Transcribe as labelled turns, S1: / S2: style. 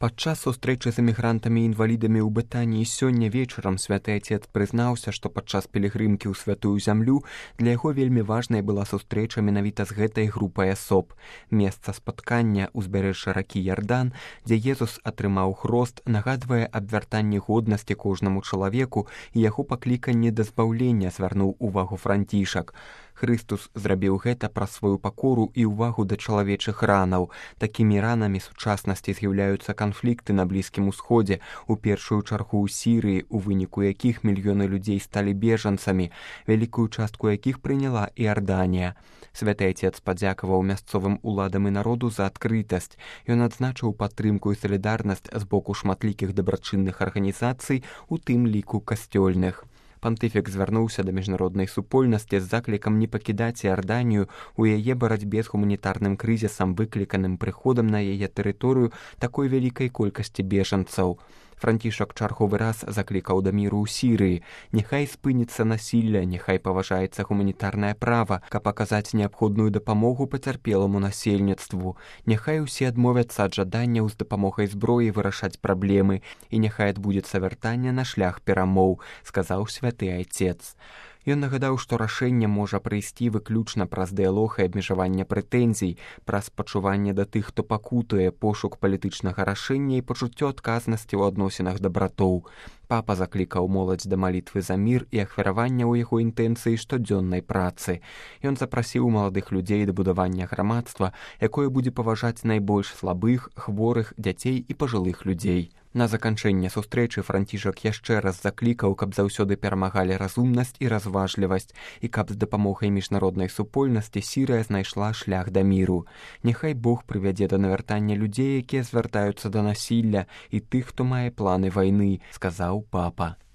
S1: Падчас сустрэчы з эмігрантамі і інвалідамі ў Бетаніі сёння вечарам святы Отец прызнаўся, што падчас пілігрымкі ў святую зямлю для яго вельмі важнай была сустрэча менавіта з гэтай групай асоб. Месца спаткання ўзбярэжжа ракі Ярдан, дзе Езус атрымаў хрост, нагадвае аб вяртанні годнасці кожнаму чалавеку і яго пакліканне да збаўлення, звярнуў увагу Францішак. Хрыстус зрабіў гэта праз сваю пакору і ўвагу да чалавечых ранаў. Такімі ранамі сучаснасці з'яўляюцца канфлікты на Блізкім Усходзе, у першую чаргу ў Сірыі, у выніку якіх мільёны людзей сталі бежанцамі, вялікую частку якіх прыняла Іорданія. Святы Отец падзякаваў мясцовым уладам і народу за адкрытасць. Ён адзначыў падтрымку і салідарнасць з боку шматлікіх дабрачынных арганізацый, у тым ліку касцёльных. Пантыфік звярнуўся да міжнароднай супольнасці з заклікам не пакідаць Іорданію у яе барацьбе з гуманітарным крызісам, выкліканым прыходам на яе тэрыторыю такой вялікай колькасці бежанцаў. Францішак чарговы раз заклікаў да міру ў Сірыі. Няхай спыніцца насілля, няхай паважаецца гуманітарнае права, каб аказаць неабходную дапамогу пацярпеламу насельніцтву. Няхай усе адмовяцца ад жаданняў з дапамогай зброі вырашаць праблемы, і няхай адбудзецца вяртанне на шлях перамоў, сказаў святы Отец. Ён нагадаў, што рашэнне можа прыйсці выключна праз дыялог і абмежаванне прэтэнзій, праз пачуванне да тых, хто пакутуе, пошук палітычнага рашэння і пачуццё адказнасці ў адносінах да братоў. Папа заклікаў моладзь да малітвы за мір і ахвяравання ў яго інтэнцыі штодзённай працы. Ён запрасіў маладых людзей да будавання грамадства, якое будзе паважаць найбольш слабых, хворых, дзяцей і пажылых людзей. На заканчэнне сустрэчы Францішак яшчэ раз заклікаў, каб заўсёды перамагалі разумнасць і разважлівасць, і каб з дапамогай міжнароднай супольнасці Сірыя знайшла шлях да міру. Няхай Бог прывядзе да навяртання людзей, якія звяртаюцца да насілля, і тых, хто мае планы вайны, сказаў папа.